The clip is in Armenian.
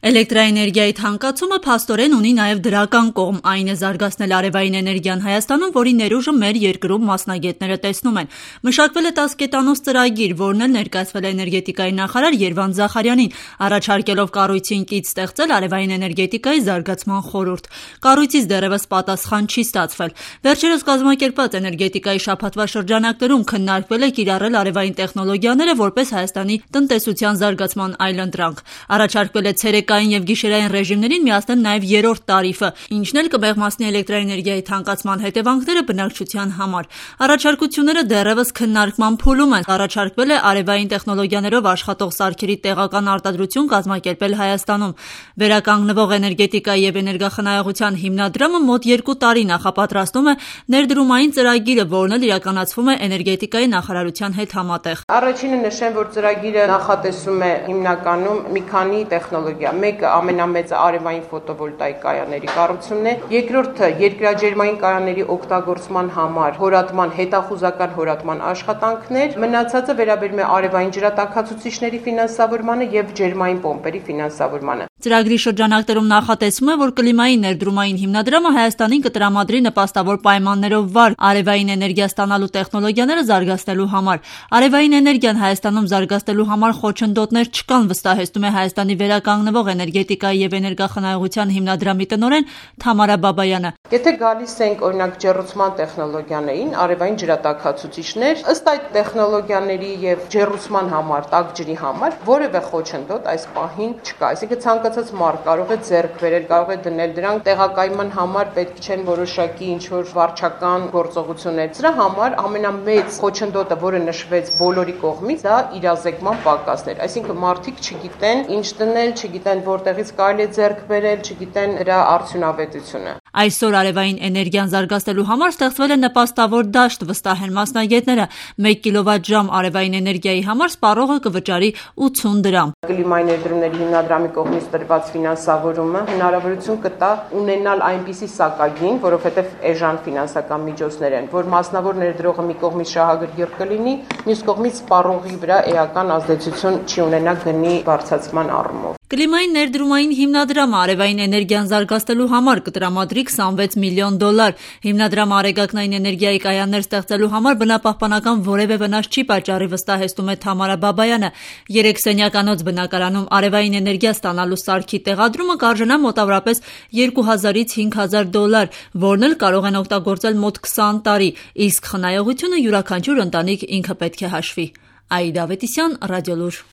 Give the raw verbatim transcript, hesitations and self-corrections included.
Էլեկտրաէներգիայի թանկացումը փաստորեն ունի նաև դրական կողմ, այն է զարգացնել արևային էներգիան Հայաստանում, որի ներուժը մեր երկրում մասնագետները տեսնում են։ Մշակվել է տասկետանոց ծրագիր, որն էլ ներկայացվել է էներգետիկայի նախարար Երվանդ Զախարյանին, առաջարկելով կառույցին կից ստեղծել արևային էներգետիկայի զարգացման խորհուրդ։ Կառույցից դեռևս պատասխան չի ստացվել։ Վերջերս կազմակերպված էներգետիկայի շաբաթվա շրջանակներում քննարկվել է կիրառել արևային տեխնոլոգիաները որպես Հայաստանի տնտեսության զարգացման այլընտրանք։ Առաջարկվել է ցերեկային և գիշերային ռեժիմներին միացնել նաև երրորդ տարիֆը, ինչն էլ կմեղմացնի էլեկտրաէներգիայի թանկացման հետևանքները բնակչության համար։ Առաջարկությունները դեռևս քննարկման փուլում են։ Առաջարկվել է արևային տեխնոլոգիաներով աշխատող սարքերի տեղական արտադրություն կազմակերպել Հայաստանում։ Վերականգնվող էներգետիկայի և էներգախնայողության հիմնադրամը մոտ երկու տարի նախապատրաստում է ներդրումային ծրագիրը, որն էլ իրականացվում է էներգետիկայի նախարարության հետ համատեղ։ Առաջինը նշեմ, որ ծրագիրը նախատեսում է հիմնականում մի քանի տեխնոլոգիա։ Մեկը ամենամեծը արևային ֆոտովոլտաիկ կայանների կառուցումն է, երկրորդը երկրաջերմային կայանների օգտագործման համար հորատման, հետախուզական հորատման աշխատանքներ, մնացածը վերաբերում է արևային ջրատաքացուցիչների ֆինանսավորմանը և ջերմային պոմպերի ֆինանսավորմանը։ Ծրագրի շրջանակներում նախատեսվում է, որ կլիմայի ներդրումային հիմնադրամը Հայաստանին կտրամադրի նպաստավոր պայմաններով վարկ արևային էներգիա ստանալու տեխնոլոգիաները զարգացնելու համար։ Արևային էներգիան Հայաստանում զարգացնելու համար խոչընդոտներ չկան, վստահեցնում է Հայաստանի վերականգնվող էներգետիկայի և էներգախնայողության հիմնադրամի տնօրեն Թամարա Բաբայանը։ Եթե գալիս ենք օրինակ ջեռուցման տեխնոլոգիաներին, արևային ջրատաքացուցիչներ, ըստ այդ տեխնոլոգիաների և ջեռուցման համար, տաք ջրի համար որևէ խոչընդոտ այս պահին չկա։ Այսինքն ցանկացած մարդ կարող է ձեռք բերել, կարող է դնել, դրանք տեղակայման համար պետք չեն որոշակի ինչ-որ վարչական գործողություններ։ Դրա համար ամենամեծ խոչընդոտը, որը նշվեց բոլորի կողմից, դա իրազեկման պակասն էր։ Այսինքն մարդիկ չգիտեն ինչ դնել, չգիտեն որտեղից կարելի է ձեռք բերել, չգիտեն դրա արդյունավետությունը։ Այսօր արևային էներգիան զարգացնելու համար ստեղծվել է նպաստավոր դաշտ, վստահ են մասնագետները։ մեկ կիլովատ-ժամ արևային էներգիայի համար սպառողը կվճարի ութուն դրամ։ Կլիմայի ներդրումների հիմնադրամի կողմից տրված ֆինանսավորումը հնարավորություն կտա ունենալ այնպիսի սակագին, որովհետև էժան ֆինանսական միջոցներ են, որ մասնավոր ներդրողը մի կողմից շահագրգիռ կլինի, մյուս կողմից սպառողի վրա էական ազդեցություն չի ունենա գնի բարձրացման առումով։ Կլիմայի ներդրումային հիմնադրամը արևային էներգիան զարգացնելու համար կտրամադրի քսանվեց միլիոն դոլար։ Հիմնադրամը արեգակնային էներգիայի կայաններ ստեղծելու համար բնապահպանական որևէ վնաս չի պատճառի, վստահեցնում է Թամարա Բաբայանը։ Երեք սենյականոց բնակարանում արևային էներգիա ստանալու սարքի տեղադրումը կարժենա մոտավորապես երկու հազարից հինգ հազար դոլար, որն էլ կարող են օգտագործել մոտ քսան տարի, իսկ խնայողությունը յուրաքանչյուր ընտանիք ինքը պետք է հաշվի։ Աիդա Ավետիսյան, Ռադիոլուր։